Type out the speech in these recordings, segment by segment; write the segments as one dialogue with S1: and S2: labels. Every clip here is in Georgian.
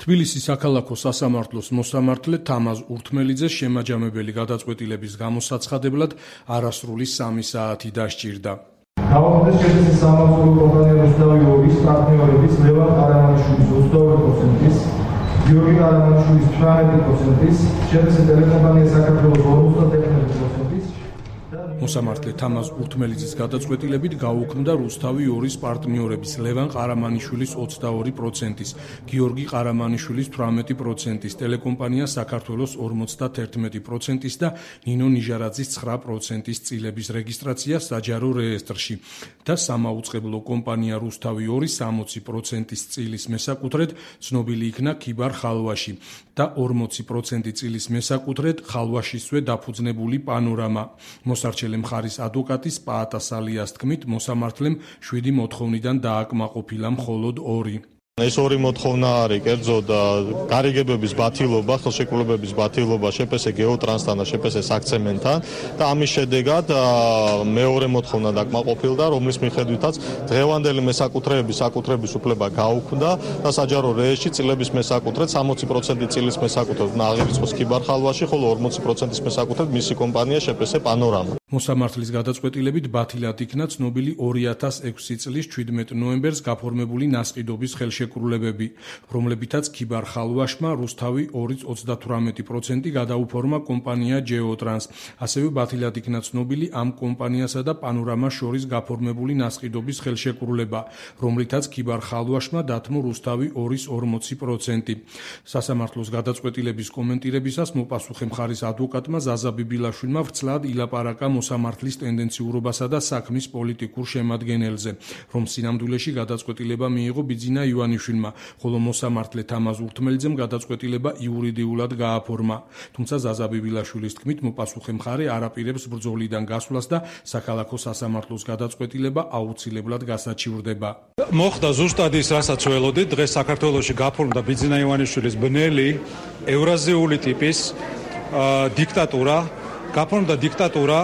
S1: თბილისის საქალაქო სასამართლოს მოსამართლე თამაზ ურთმელიძეს შემაჯამებელი გადაწყვეტილების გამოსაცხადებლად არასრული 3 საათი დასჭირდა.
S2: Გავაკეთეთ შეფასების სამართლებრივ კომპანია რუსთავი ორის პარტნიორების ლევან ყარამანიშვილის 22%-ის, გიორგი ყარამანიშვილის 18%-ის, შეფასების ტელეკომპანია საქართველოს 51%-ის
S1: მოსამართლე თამაზ ურთმელიძის გადაწყვეტილებით გაუქმდა რუსთავი ორის პარტნიორების ლევან ყარამანიშვილის 22%-ის, გიორგი ყარამანიშვილის 18%-ის, ტელეკომპანია საქართველოს 51%-ის და ნინო ნიჟარაძის 9%-ის წილების რეგისტრაცია საჯარო რეესტრში და სამაუწყებლო კომპანია რუსთავი ორის 60%-ის წილის მესაკუთრედ ცნობილი იქნა ქიბარ ხალვაში და 40% წილის მესაკუთრედ ხალვაშისვე დაფუძნებული პანორამა. მოსარჩელი მხარის ადვოკატის პაატასალიას თქმით, მოსამართლემ 7 მოთხოვნიდან დააკმაყოფილა მხოლოდ 2.
S3: ეს 2 მოთხოვნა არის კერძო და გარიგებების ბათილობა, ხელშეკრულებების ბათილობა შეფესე გეოტრანსთან და შეფესე საქცემენტთან და ამის შედეგად მეორე მოთხოვნა დაკმაყოფილდა, რომლის მიხედვითაც დღევანდელი მესაკუთრეების საკუთრების უფლება გაუქმდა და საჯარო რეესტრში წილების მესაკუთრედ 60% წილის მესაკუთრედ აღირიცხოს ქიბარ ხალვაში, ხოლო 40%-ის მესაკუთრედ მისი კომპანია შეფესე პანორამა.
S1: მოსამართლის გადაწყვეტილებით ბათილად იქნა ცნობილი 2006 წლის 17 ნოემბერს გაფორმებული ნასყიდობის ხელშეკრულებები, რომლებითაც ქიბარ ხალვაშმა რუსთავი ორის 38% გადაუფორმა კომპანია ჯეოტრანს. ასევე ბათილად იქნა ცნობილი ამ კომპანიასა და პანორამას შორის გაფორმებული ნასყიდობის ხელშეკრულება, რომლითაც ქიბარ ხალვაშმა დათმო რუსთავი ორის 40%. სასამართლოს გადაწყვეტილების კომენტირებისას მოპასუხე მხარის ადვოკატმა ზაზა ბიბილაშვილმა ვრცლად ილაპარაკა მოსამართლის ტენდენციურობასა და საქმის პოლიტიკურ შემადგენელზე, რომ სინამდვილეში გადაწყვეტილება მიიღო ბიძინა ივანიშვილმა, ხოლო მოსამართლე თამაზ ურთმელიძემ გადაწყვეტილება იურიდიულად გააფორმა. თუმცა ზაზა ბიბილაშვილის თქმით, მოპასუხე მხარე არ აპირებს ბრძოლიდან გასვლას და საქალაქო სასამართლოს გადაწყვეტილება აუცილებლად გასაჩივრდება.
S4: მოხდა ზუსტად ის, რასაც ველოდით, დღეს საქართველოში გაფორმდა ბიძინა ივანიშვილის ბნელი ევრაზიული ტიპის დიქტატურა. გაფორმდა დიქტატურა,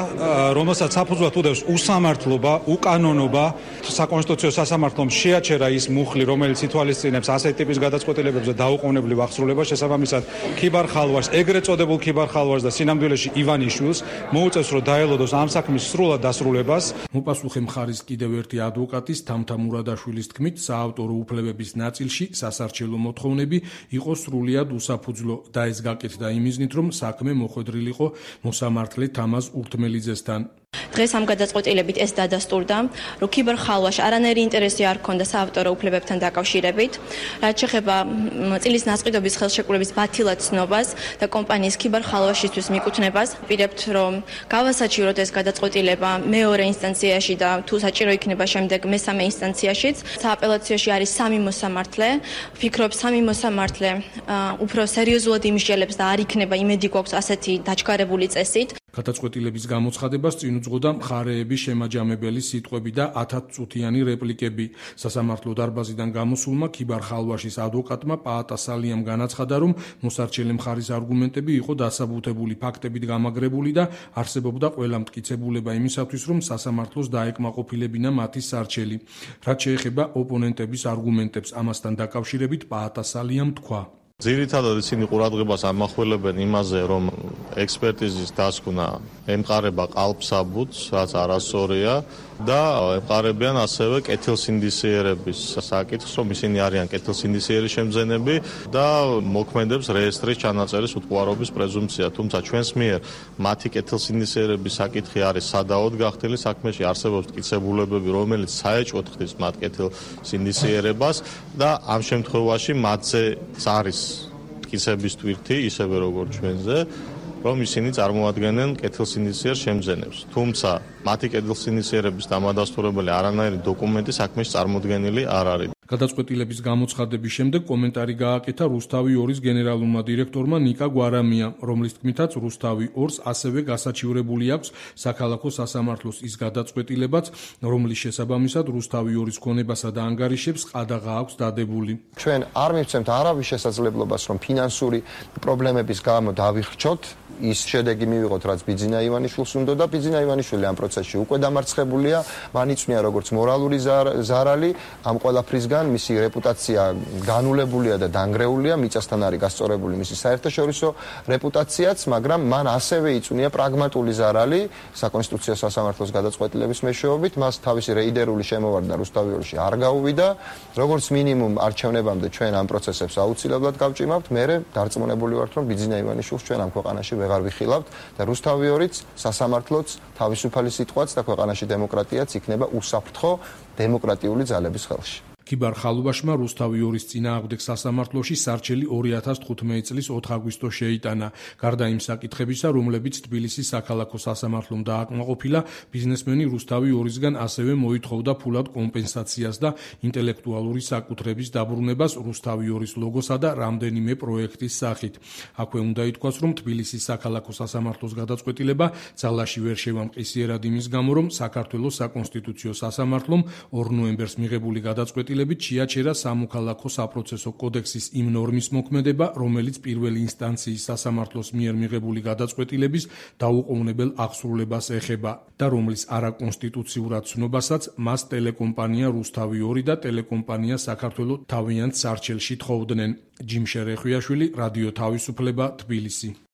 S4: რომელსაც საფუძვლად უდევს უსამართლობა, უკანონობა. საკონსტიტუციო სასამართლომ შეაჩერა ის მუხლი, რომელიც ითვალისწინებს ასეთ ტიპის გადაწყვეტილებებზე დაუყოვნებლივ აღსრულებას, შესაბამისად ქიბარ ხალვაშს, ეგრეთ წოდებულ ქიბარ ხალვაშს და სინამდვილეში ივანიშვილს მოუწევს, რომ დაელოდოს ამ საქმის სრულად დასრულებას.
S1: მოპასუხე მხარის კიდევ ერთი ადვოკატის თამთა მურადაშვილის თქმით, საავტორო უფლებების ნაწილში სასარჩელო მოთხოვნები იყო სრულიად უსაფუძვლო და ეს გაკეთდა იმიზნით, რომ საქმე მოხვედრილიყო მოსამართლე თამაზ ურთმელიძესთან.
S5: დღეს ამ გადაწყვეტილებით ეს დადასტურდა, რომ ქიბარ ხალვაშ არანაირი ინტერესი არ ჰქონდა საავტორო უფლებებთან დაკავშირებით, რაც შეეხება წილის ნასყიდობის ხელშეკრულების ბათილად ცნობას და კომპანიის ქიბარ ხალვაშისთვის მიკუთვნებას. ვპირებთ, რომ გავასაჩივროთ ეს გადაწყვეტილება მეორე ინსტანციაში და თუ საჭირო იქნება შემდეგ მესამე ინსტანციაშიც. სააპელაციოში არის 3 მოსამართლე. ვფიქრობ, 3 მოსამართლე უფრო სერიოზულად იმსჯელებს და არ იქნება იმედი გვაქვს ასეთი დაჩქარებული წესით.
S1: გადაწყვეტილების გამოცხადებას წინ უძღოდა მხარეების შემაჯამებელი სიტყვები და 10 წუთიანი რეპლიკები. სასამართლო დარბაზიდან გამოსულმა ქიბარ ხალვაშის ადვოკატმა პაატასალიამ განაცხადა, რომ მოსარჩელი მხარის არგუმენტები იყო დასაბუთებული ფაქტებით გამაგრებული და არსებობდა ყველა მტკიცებულება იმისათვის, რომ სასამართლოს დაეკმაყოფილებინა მათი სარჩელი. რაც შეეხება ოპონენტების არგუმენტებს, ამასთან დაკავშირებით პაატასალიამ თქვა.
S3: ძირითადად ისინი ყურადღებას ამახვილებენ იმაზე, რომ ექსპერტიზის დასკვნა ემყარება ყალბსაბუთს, რაც არასწორია და ემყარებიან ასევე კეთილსინდისიერების საკითხს, რომ ისინი არიან კეთილსინდისიერი შემძენები და მოქმედებს რეესტრის ჩანაწერის უტყუარობის პრეზუმპცია. თუმცა ჩვენს მიერ მათი კეთილსინდისიერების საკითხი არის სადავოდ გახდილი, საქმეში არსებობს მტკიცებულებები, რომელიც საეჭვოდ ხდის მათ კეთილსინდისიერებას და ამ შემთხვევაში მათზე არის მტკიცების ტვირთი, ისევე როგორც ჩვენზე, რომ ისინი წარმოადგენენ კეთილსინდისიერ შემძენებს. თუმცა მათი კეთილსინდისიერების დამადასტურებელი არანაირი დოკუმენტი საქმეში წარმოდგენილი არ არის.
S1: გადაწყვეტილების გამოცხადების შემდეგ კომენტარი გააკეთა რუსთავი ორის გენერალურმა დირექტორმა ნიკა გვარამიამ, რომლის თქმითაც რუსთავი ორს ასევე გასაჩივრებული აქვს საქალაქო სასამართლოს ის გადაწყვეტილებაც, რომლის შესაბამისად რუსთავი ორის ქონებასა და ანგარიშებს ყადაღა აქვს დადებული.
S6: ჩვენ არ მივცემთ არავის შესაძლებლობას, რომ ფინანსური პრობლემების გამო დავიხრჩოთ ის შედეგი მივიღოთ, რაც ბიძინა ივანიშვილს უნდა და ბიძინა ივანიშვილი ამ პროცესში უკვე დამარცხებულია, მან იწვია როგორც მორალური ზარალი ამ ყველაფრისგან რადგან მისი რეპუტაცია განულებულია და დანგრეულია, მიწასთან არის გასწორებული მისი საერთაშორისო რეპუტაციაც, მაგრამ მან ასევე იწვნია პრაგმატული ზარალი საკონსტიტუციო სასამართლოს გადაწყვეტილების მეშვეობით, მას თავისი რეიდერული შემოვარდნა რუსთავიორში არ გაუვიდა, როგორც მინიმუმ არჩევნებამდე ჩვენ ამ პროცესებს აუცილებლად გავჭიმავთ, მერე დარწმუნებული ვართ, რომ ბიძინა ივანიშვილს ჩვენ ამ ქვეყანაში ვეღარ ვიხილავთ და რუსთავიორიც, სასამართლოც, თავისუფალი სიტყვაც და ქვეყანაში დემოკრატიაც იქნება უსაფრთხო დემოკრატიული ძალების ხელში.
S1: ქიბარ ხალუვაშმა რუსთავიორის წინააღმდეგ სასამართლოში სარჩელი 2015 წლის 4 აგვისტოს შეიტანა. გარდა იმ საკითხებისა, რომლებიც თბილისის საქალაქო სასამართლომ დააკმაყოფილა, ბიზნესმენი რუსთავიორისგან ასევე მოითხოვდა ფულად კომპენსაციას და ინტელექტუალური საკუთრების დაბრუნებას რუსთავიორის ლოგოსა და რამდენიმე პროექტის სახით. აქვე უნდა ითქვას, რომ თბილისის საქალაქო სასამართლოს გადაწყვეტილება ძალაში ვერ შევამყისიერად იმის გამო, რომ საქართველოს საკონსტიტუციო სასამართლომ 2 ნოემბერს მიღებული გადაწყვეტილებით შეაჩერა სამოქალაქო საპროცესო კოდექსის იმ ნორმის მოქმედება, რომელიც პირველი ინსტანციის სასამართლოს მიერ მიღებული გადაწყვეტილების დაუყოვნებელ აღსრულებას ეხება და რომლის არაკონსტიტუციურად ცნობასაც მას ტელეკომპანია რუსთავიორი და ტელეკომპანია საქართველო თავიანთ სარჩელში თხოვდნენ. ჯიმ შერეხვიაშვილი, რადიო თავისუფლება, თბილისი.